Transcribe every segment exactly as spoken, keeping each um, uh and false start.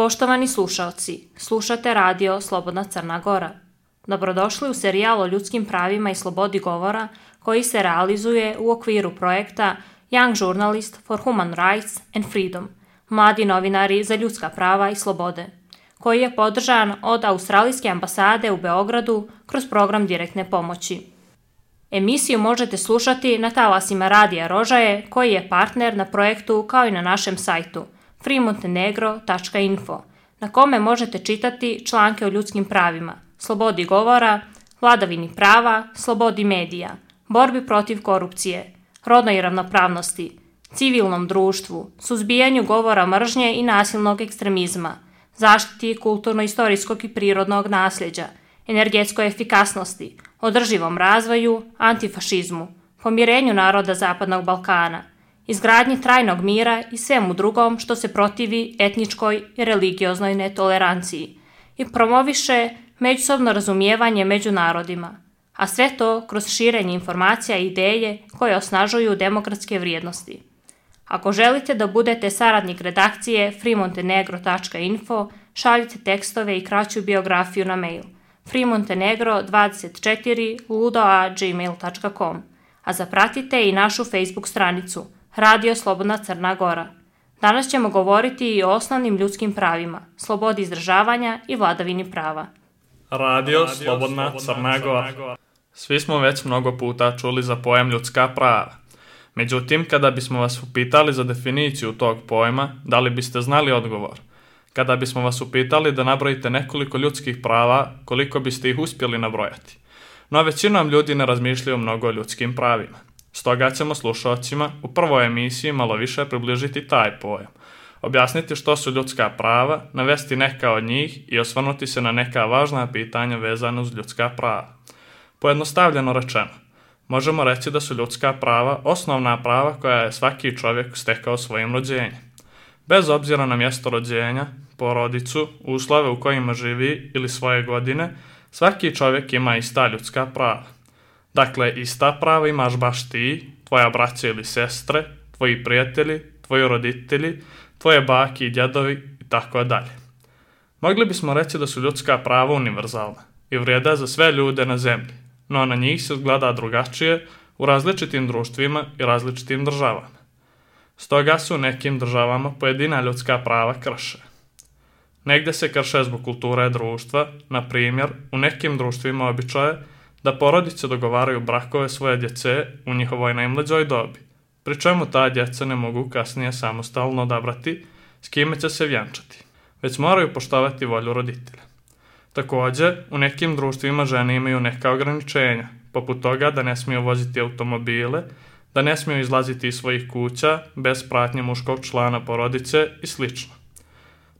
Poštovani slušaoci, slušate radio Slobodna Crna Gora. Dobrodošli u serijal o ljudskim pravima i slobodi govora koji se realizuje u okviru projekta Young Journalist for Human Rights and Freedom, mladi novinari za ljudska prava i slobode, koji je podržan od Australijske ambasade u Beogradu kroz program direktne pomoći. Emisiju možete slušati na talasima Radija Rožaje, koji je partner na projektu kao i na našem sajtu free montenegro tačka info, na kome možete čitati članke o ljudskim pravima, slobodi govora, vladavini prava, slobodi medija, borbi protiv korupcije, rodnoj ravnopravnosti, civilnom društvu, suzbijanju govora mržnje i nasilnog ekstremizma, zaštiti kulturno-istorijskog i prirodnog nasljeđa, energetskoj efikasnosti, održivom razvoju, antifašizmu, pomirenju naroda Zapadnog Balkana, izgradnji trajnog mira i svemu drugom što se protivi etničkoj i religioznoj netoleranciji i promoviše međusobno razumijevanje među narodima, a sve to kroz širenje informacija i ideje koje osnažuju demokratske vrijednosti. Ako želite da budete saradnik redakcije free montenegro tačka info, šaljite tekstove i kraću biografiju na mail free montenegro dvadeset četiri ludo at gmail tačka com, a zapratite i našu Facebook stranicu Radio Slobodna Crna Gora. Danas ćemo govoriti i o osnovnim ljudskim pravima, slobodi izražavanja i vladavini prava. Radio Slobodna Crna Gora. Svi smo već mnogo puta čuli za pojam ljudska prava. Međutim, kada bismo vas upitali za definiciju tog pojma, da li biste znali odgovor? Kada bismo vas upitali da nabrojite nekoliko ljudskih prava, koliko biste ih uspjeli nabrojati? No većinom ljudi ne razmišljaju mnogo o ljudskim pravima. Stoga ćemo slušalcima u prvoj emisiji malo više približiti taj pojam, objasniti što su ljudska prava, navesti neka od njih i osvrnuti se na neka važna pitanja vezana uz ljudska prava. Pojednostavljeno rečeno, možemo reći da su ljudska prava osnovna prava koja je svaki čovjek stekao svojim rođenjem. Bez obzira na mjesto rođenja, porodicu, uslove u kojima živi ili svoje godine, svaki čovjek ima ista ljudska prava. Dakle, ista prava imaš baš ti, tvoja braća ili sestre, tvoji prijatelji, tvoji roditelji, tvoje baki i djedovi i tako dalje. Mogli bismo reći da su ljudska prava univerzalna i vrijede za sve ljude na zemlji, no na njih se gleda drugačije u različitim društvima i različitim državama. Stoga su u nekim državama pojedina ljudska prava krše. Negdje se krše zbog kulture društva, na primjer, u nekim društvima običaj je da porodice dogovaraju brakove svoje djece u njihovoj najmlađoj dobi, pri čemu ta djeca ne mogu kasnije samostalno odabrati s kime će se vjenčati, već moraju poštovati volju roditelja. Također, u nekim društvima žene imaju neka ograničenja, poput toga da ne smiju voziti automobile, da ne smiju izlaziti iz svojih kuća bez pratnje muškog člana porodice i sl.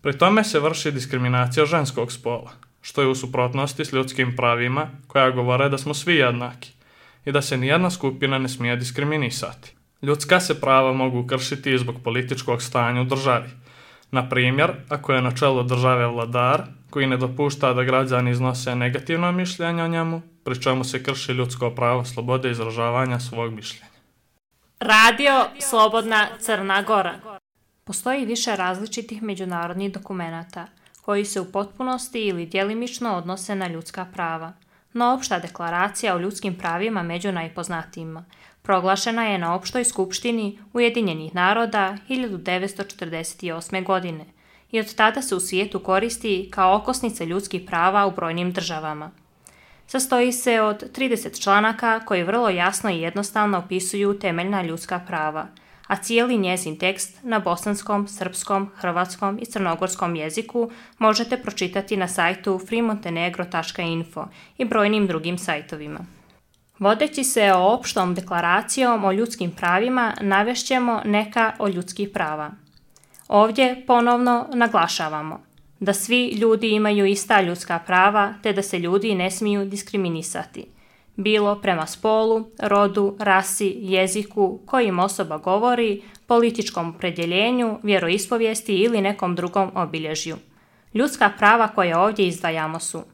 Pri tome se vrši diskriminacija ženskog spola, što je u suprotnosti s ljudskim pravima koja govore da smo svi jednaki i da se nijedna skupina ne smije diskriminisati. Ljudska se prava mogu kršiti i zbog političkog stanja u državi. Na primjer, ako je na čelu države vladar koji ne dopušta da građani iznose negativno mišljenje o njemu, pri čemu se krši ljudsko pravo slobode izražavanja svog mišljenja. Radio Slobodna Crna Gora. Postoji više različitih međunarodnih dokumenata koji se u potpunosti ili djelimično odnose na ljudska prava, no opšta deklaracija o ljudskim pravima među najpoznatijima proglašena je na opštoj skupštini Ujedinjenih naroda hiljadu devetsto četrdeset osme. godine i od tada se u svijetu koristi kao okosnica ljudskih prava u brojnim državama. Sastoji se od trideset članaka koji vrlo jasno i jednostavno opisuju temeljna ljudska prava, a cijeli njezin tekst na bosanskom, srpskom, hrvatskom i crnogorskom jeziku možete pročitati na sajtu free montenegro tačka info i brojnim drugim sajtovima. Vodeći se o opštom deklaracijom o ljudskim pravima, navešćemo neka od ljudskih prava. Ovdje ponovno naglašavamo da svi ljudi imaju ista ljudska prava te da se ljudi ne smiju diskriminisati, bilo prema spolu, rodu, rasi, jeziku, kojim osoba govori, političkom opredjeljenju, vjeroispovijesti ili nekom drugom obilježju. Ljudska prava koje ovdje izdvajamo su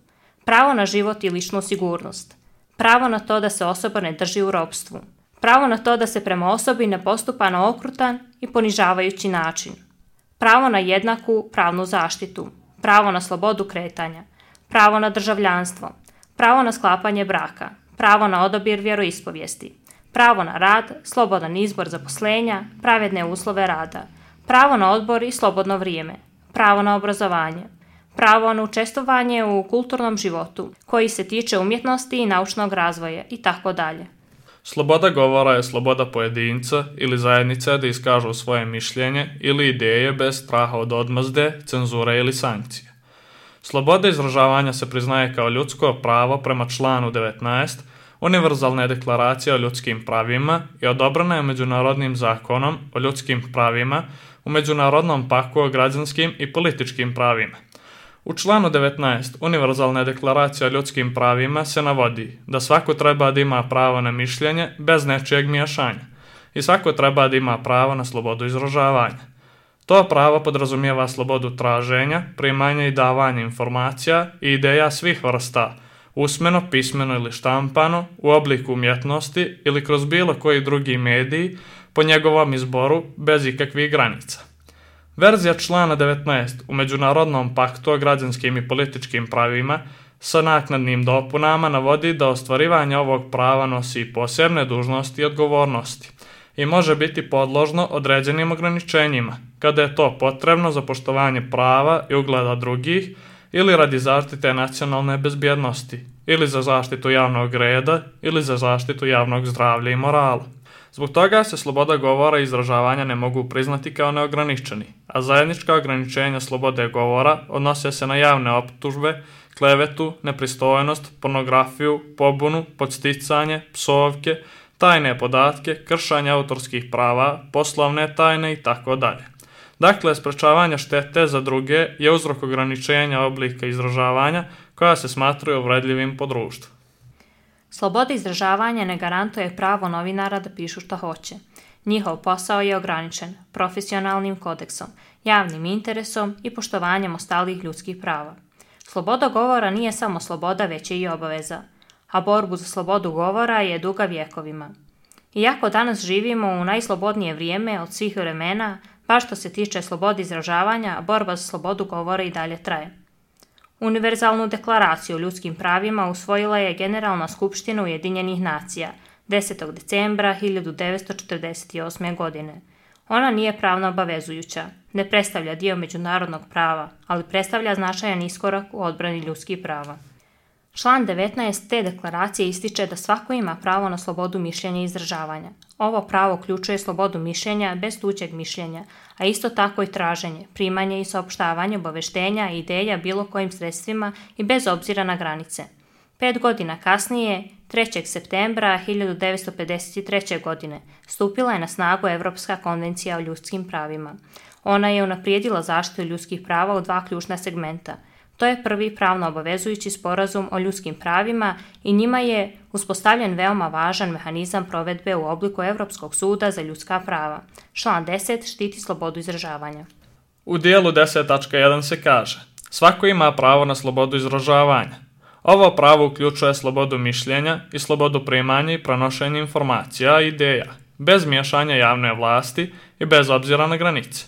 pravo na život i ličnu sigurnost, pravo na to da se osoba ne drži u ropstvu, pravo na to da se prema osobi ne postupa na okrutan i ponižavajući način, pravo na jednaku pravnu zaštitu, pravo na slobodu kretanja, pravo na državljanstvo, pravo na sklapanje braka, pravo na odabir vjeroispovijesti, pravo na rad, slobodan izbor zaposlenja, pravedne uslove rada, pravo na odbor i slobodno vrijeme, pravo na obrazovanje, pravo na učestvovanje u kulturnom životu koji se tiče umjetnosti i naučnog razvoja itd. Sloboda govora je sloboda pojedinca ili zajednice da iskažu svoje mišljenje ili ideje bez straha od odmazde, cenzure ili sankcije. Sloboda izražavanja se priznaje kao ljudsko pravo prema članu devetnaest Univerzalne deklaracije o ljudskim pravima i odobrena je Međunarodnim zakonom o ljudskim pravima u Međunarodnom paktu o građanskim i političkim pravima. U članu devetnaest Univerzalne deklaracije o ljudskim pravima se navodi da svako treba da ima pravo na mišljenje bez nečijeg miješanja i svako treba da ima pravo na slobodu izražavanja. To pravo podrazumijeva slobodu traženja, primanja i davanja informacija i ideja svih vrsta, usmeno, pismeno ili štampano, u obliku umjetnosti ili kroz bilo koji drugi mediji po njegovom izboru bez ikakvih granica. Verzija člana devetnaest u Međunarodnom paktu o građanskim i političkim pravima sa naknadnim dopunama navodi da ostvarivanje ovog prava nosi posebne dužnosti i odgovornosti i može biti podložno određenim ograničenjima, kada je to potrebno za poštovanje prava i ugleda drugih ili radi zaštite nacionalne bezbjednosti, ili za zaštitu javnog reda, ili za zaštitu javnog zdravlja i morala. Zbog toga se sloboda govora i izražavanja ne mogu priznati kao neograničeni, a zajednička ograničenja slobode govora odnose se na javne optužbe, klevetu, nepristojnost, pornografiju, pobunu, podsticanje, psovke, tajne podatke, kršanje autorskih prava, poslovne tajne itd. Dakle, sprečavanje štete za druge je uzrok ograničenja oblika izražavanja koja se smatraju uvredljivim po društvu. Sloboda izražavanja ne garantuje pravo novinara da pišu šta hoće. Njihov posao je ograničen profesionalnim kodeksom, javnim interesom i poštovanjem ostalih ljudskih prava. Sloboda govora nije samo sloboda, već je i obaveza, a borbu za slobodu govora je duga vjekovima. Iako danas živimo u najslobodnije vrijeme od svih vremena, baš što se tiče slobode izražavanja, borba za slobodu govora i dalje traje. Univerzalnu deklaraciju o ljudskim pravima usvojila je Generalna skupština Ujedinjenih nacija desetog decembra hiljadu devetsto četrdeset osme. godine. Ona nije pravno obavezujuća, ne predstavlja dio međunarodnog prava, ali predstavlja značajan iskorak u odbrani ljudskih prava. Član devetnaest te deklaracije ističe da svako ima pravo na slobodu mišljenja i izražavanja. Ovo pravo uključuje slobodu mišljenja bez tuđeg mišljenja, a isto tako i traženje, primanje i saopštavanje obaveštenja i ideja bilo kojim sredstvima i bez obzira na granice. Pet godina kasnije, trećeg septembra hiljadu devetsto pedeset treće. godine, stupila je na snagu Evropska konvencija o ljudskim pravima. Ona je unaprijedila zaštitu ljudskih prava u dva ključna segmenta. To je prvi pravno obavezujući sporazum o ljudskim pravima i njima je uspostavljen veoma važan mehanizam provedbe u obliku Evropskog suda za ljudska prava. Član deset štiti slobodu izražavanja. U dijelu deset tačka jedan se kaže: svako ima pravo na slobodu izražavanja. Ovo pravo uključuje slobodu mišljenja i slobodu primanja i prenošenja informacija i ideja, bez miješanja javne vlasti i bez obzira na granice.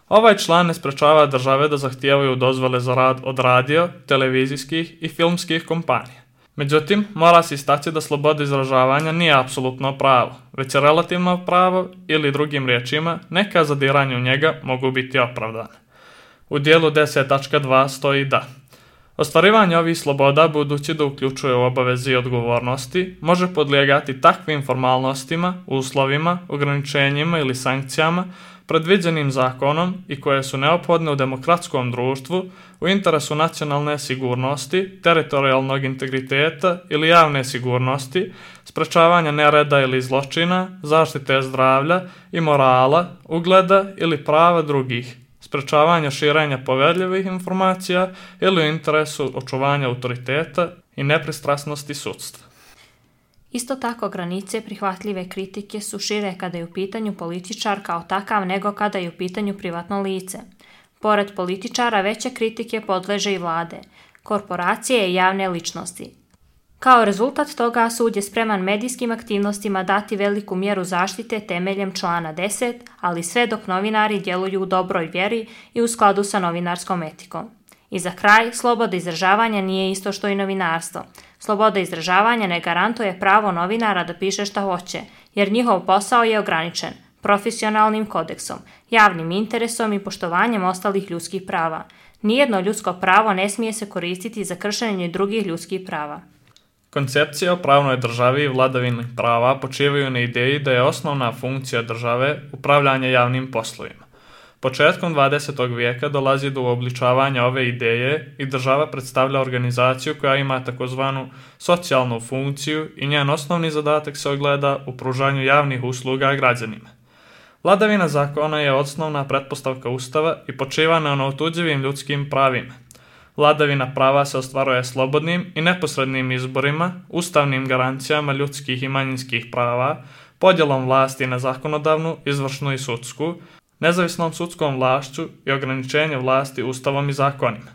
Ovaj član ne sprečava države da zahtijevaju dozvole za rad od radio, televizijskih i filmskih kompanija. Međutim, mora se istaći da sloboda izražavanja nije apsolutno pravo, već je relativno pravo ili drugim riječima neka zadiranja u njega mogu biti opravdane. U dijelu deset tačka dva stoji da ostvarivanje ovih sloboda, budući da uključuje obaveze i odgovornosti, može podlijegati takvim formalnostima, uslovima, ograničenjima ili sankcijama predviđenim zakonom i koje su neophodne u demokratskom društvu u interesu nacionalne sigurnosti, teritorijalnog integriteta ili javne sigurnosti, sprečavanja nereda ili zločina, zaštite zdravlja i morala, ugleda ili prava drugih, sprečavanja širenja poverljivih informacija ili u interesu očuvanja autoriteta i nepristrasnosti sudstva. Isto tako, granice prihvatljive kritike su šire kada je u pitanju političar kao takav nego kada je u pitanju privatno lice. Pored političara, veće kritike podleže i vlade, korporacije i javne ličnosti, Kao rezultat toga, sud je spreman medijskim aktivnostima dati veliku mjeru zaštite temeljem člana deset, ali sve dok novinari djeluju u dobroj vjeri i u skladu sa novinarskom etikom. I za kraj, sloboda izražavanja nije isto što i novinarstvo. Sloboda izražavanja ne garantuje pravo novinara da piše šta hoće, jer njihov posao je ograničen profesionalnim kodeksom, javnim interesom i poštovanjem ostalih ljudskih prava. Nijedno ljudsko pravo ne smije se koristiti za kršenje drugih ljudskih prava. Koncepcije o pravnoj državi i vladavini prava počivaju na ideji da je osnovna funkcija države upravljanje javnim poslovima. Početkom dvadesetog vijeka dolazi do uobličavanja ove ideje i država predstavlja organizaciju koja ima takozvanu socijalnu funkciju i njen osnovni zadatak se ogleda u pružanju javnih usluga građanima. Vladavina zakona je osnovna pretpostavka Ustava i počiva na neotuđivim ljudskim pravima. Vladavina prava se ostvaruje slobodnim i neposrednim izborima, ustavnim garancijama ljudskih i manjinskih prava, podjelom vlasti na zakonodavnu, izvršnu i sudsku, nezavisnom sudskom vlašću i ograničenje vlasti ustavom i zakonima.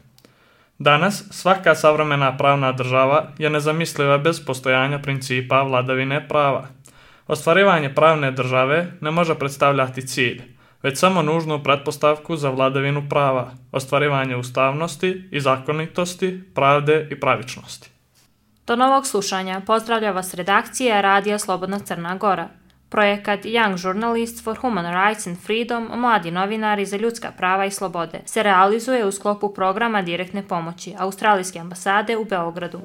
Danas svaka savremena pravna država je nezamisliva bez postojanja principa vladavine prava. Ostvarivanje pravne države ne može predstavljati cilj, već samo nužnu pretpostavku za vladavinu prava, ostvarivanje ustavnosti i zakonitosti, pravde i pravičnosti. Do novog slušanja pozdravlja vas redakcija Radija Slobodna Crna Gora. Projekat Young Journalists for Human Rights and Freedom, mladi novinari za ljudska prava i slobode, se realizuje u sklopu programa direktne pomoći Australijske ambasade u Beogradu.